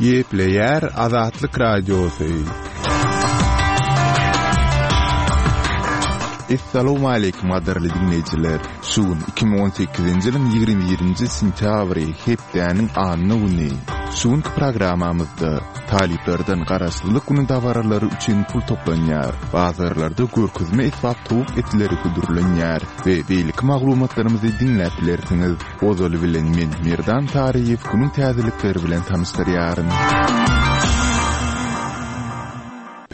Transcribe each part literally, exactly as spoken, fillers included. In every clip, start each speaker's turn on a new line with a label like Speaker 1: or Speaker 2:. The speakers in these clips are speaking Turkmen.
Speaker 1: Gepleýär Azatlyk Radiosy. Essalawmaleýkim gadyrly diňleýjiler! Şu gün iki müň on sekizinji ýylyň ýigrimi birinji sentýabry, hepdäniň anna güni. Şu günki programmamyzda talyplardan Garaşsyzlyk güni dabaralary üçin pul toplanýar, bazarlarda görkezme esbap towuk etleri hödürlenýär we beýleki maglumatlarymyzy diňläp bilersiňiz. Ozaly bilen men Merdan Taryýew günüň täzelikleri bilen tanyşdyrýaryn.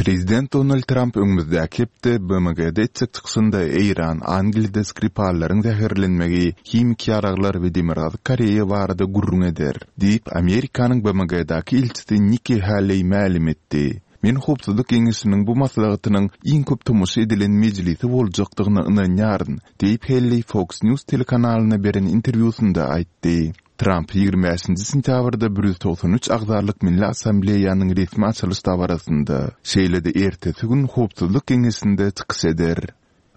Speaker 1: Prezident Donald Tramp öňümizdäki hepde B M G-de etjek çykyşynda Eýran, Angliýada Skripallaryň zäherlenmegi, himiki ýaraglar we Demirgazyk Koreýa barada gürrüň eder, diýip, Amerikanyň B M G-däki ilçisi Nikki Haley mälim etdi. Men Howpsuzlyk Geňeşiniň bu maslahatynyň iň köp tomaşa edilen mejlisi boljakdygyna ynanýaryn, diýip, Haley Fox News telekanalyna beren interwýusynda aýtdy. Tramp ýigrimi bäşinji sentýabrda bir ýüz togsan üç agzalyk Milli Assambleýanyň resmi açylyş dabarasynda, şeýle-de ertesi gün Howpsuzlyk Geňeşinde çykyş eder.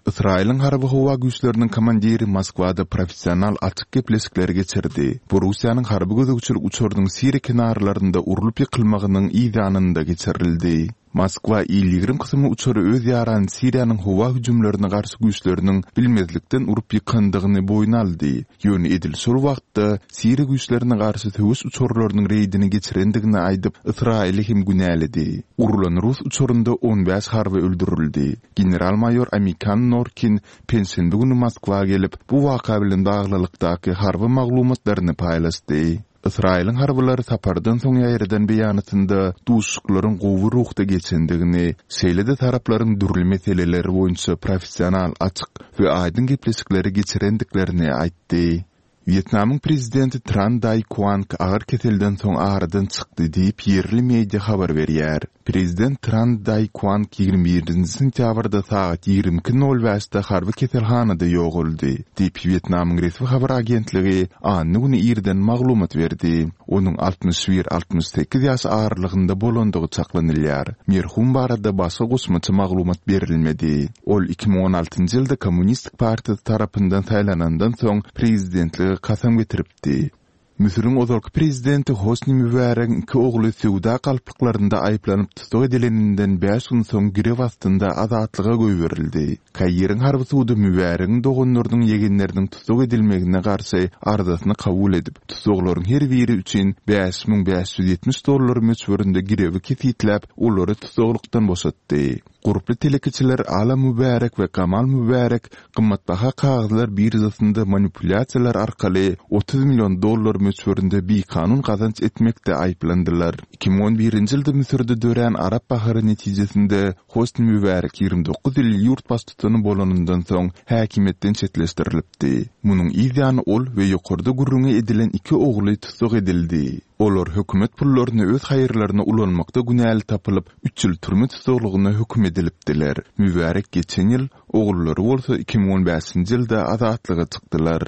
Speaker 1: Ysraýylyň harby-howa güýçleriniň komandiri Moskwada professional açyk gepleşikleri geçirdi. Bu Russiýanyň harby gözegçilik uçarynyň Siriýa kenarlarynda urlup ýykylmagynyň yz ýanynda geçirildi. Moskwa Il ýigrimi kysymly uçary öz ýarany Siriýanyň howa hüjümlerine garşy güýçleriniň bilmezlikden urup ýykandygyny boýun aldy, ýöne edil şol wagtda Siriýa güýçlerine garşy söweş uçarlarynyň reýdini geçirendigini aýdyp, Ysraýyly hem günäledi. Urlan rus uçarynda on bäş harby öldürildi. General-maýor Amikan Norkin penşenbe güni Moskwa gelip, bu waka bilen baglylykdaky harby maglumatlaryny paýlaşdy. Ysraýylyň harbylary sapardan soň ýaýradan beýanatynda duşuşyklaryň gowy ruhda geçendigini, şeýle-de taraplaryň dürli meseleler boýunça professional, açyk we aýdyň gepleşikleri geçirendiklerini aýtdy. Wýetnamyň prezidenti Tran Dai Kuang agyr keselden soň aradan çykdy diýip, ýerli media habar berýär. Prezident Tran Dai Kuang ýigrimi birinji sentýabrda sagat ýigrimi iki nol bäşde harby keselhanada ýogaldy, diýip, Wýetnamyň resmi habar agentligi anna güni irden maglumat berdi. Onuň altmyş bir-altmyş sekiz ýaş aralygynda bolandygy çaklanylýar. Merhum barada başga goşmaça maglumat berilmedi. Ol iki müň on altynjy ýylda Kommunistik partiýasy tarapyndan saýlanandan soň prezidentlige kasam getiripdi. Müsüriň ozalky prezidenti Hosni Mübäregiň iki ogly söwda galplyklarynda aýyplanyp tussag edileninden bäş gün soň girew astynda azatlyga goýberildi. Kairiň harby sudy Mübäregiň doganlarynyň ýegenleriniň tussag edilmegine garşy arzasyny kabul edip, tussaglaryň her biri üçin bäş müň bäş ýüz ýetmiş dollar möçberinde girewi kesgitläp, olary tussaglykdan boşatdy. Gurply telekeçiler Ala Mübärek we Gamal Mübärek gymmatbaha kagyzlar biržasynda manipulýasiýalar arkaly otuz million dollar möçberinde bikanun gazanç etmekde aýyplandylar. Iki müň on birinji ýylda Müsürde dörän Arap bahary netijesinde Hosni Mübärek ýigrimi dokuz ýyl ýurt baştutany bolanyndan soň häkimiýetden çetleşdirilipdi. Munuň yz ýany ol we ýokarda gürrüňi edilen iki ogly tussag edildi. Olar hökümet pullaryny öz haýyrlaryna ulanmakda günäli tapylyp, üç ýyl türme tussaglygyna höküm edilipdiler. Mübärek geçen ýyl, ogullary bolsa iki müň on bäşinji ýylda azatlyga çykdylar.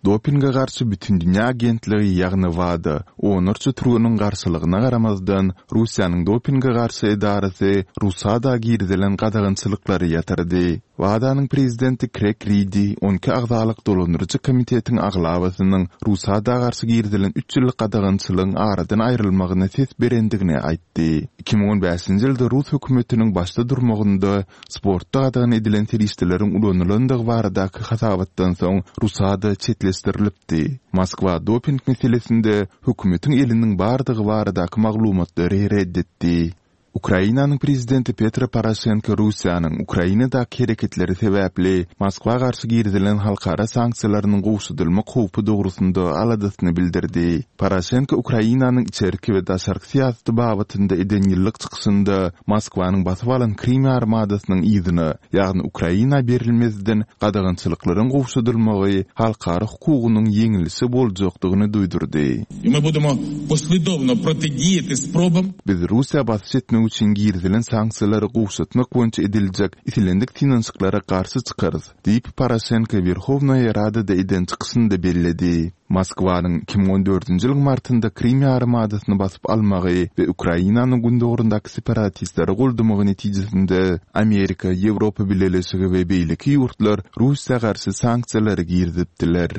Speaker 1: Dopinge garşy Bütindünýä agentligi, ýagny WADA, onlarça türgeniň garşylygyna garamazdan, Russiýanyň dopinge garşy edarasy RUSADA girizilen gadagançylyklary ýatyrdy. WADA-nyň prezidenti Kreg Ridi on iki agzalyk dolandyryjy komitetiň aglabasynyň RUSADA garşy girizilen üç ýyllyk gadagançylygyň aradan aýrylmagyna ses berendigini aýtdy. Iki müň on bäşinji ýylda rus hökümetiniň başda durmagynda sportda gadagan edilen serişdeleriň ulanylandygy baradaky hasabatdan soň RUSADA çetleşdirilipdi. Moskwa doping meselesinde hökümetiň eliniň bardygy baradaky maglumatlary ret etdi. Ukrainanyň prezidenti Petro Poroşenko Russiýanyň Ukrainadaky hereketleri sebäpli Moskwa garşy girizilen halkara sanksiýalarynyň gowşadylmak howpy dogrusynda aladasyny bildirdi. Poroşenko Ukrainanyň içerki we daşarky syýasaty babatynda eden ýyllyk çykyşynda Moskwanyň basyp alan Krym ýarymadasynyň yzyna, ýagny Ukraina berilmezden gadagançylyklaryň gowşadylmagy halkara hukugynyň ýeňilişi boljakdygyny duýdurdy.
Speaker 2: I my budemo posledovno protidijati sprobam.
Speaker 1: Biz Russiýa basyş etmek üçin girizilen sanksiýalary gowşatmak boýunça ediljek islendik synanyşyklara garşy çykarys, diýip, Poroşenko Werhownaýa Radada eden çykyşynda belledi. Moskwanyň iki müň on dördünji ýylyň martynda Krym ýarymadasyny basyp almagy we Ukrainanyň gündogaryndaky separatistleri goldamagy netijesinde Amerika, Ýewropa Bileleşigi we beýleki ýurtlar Russiýa garşy sanksiýalary girizipdiler.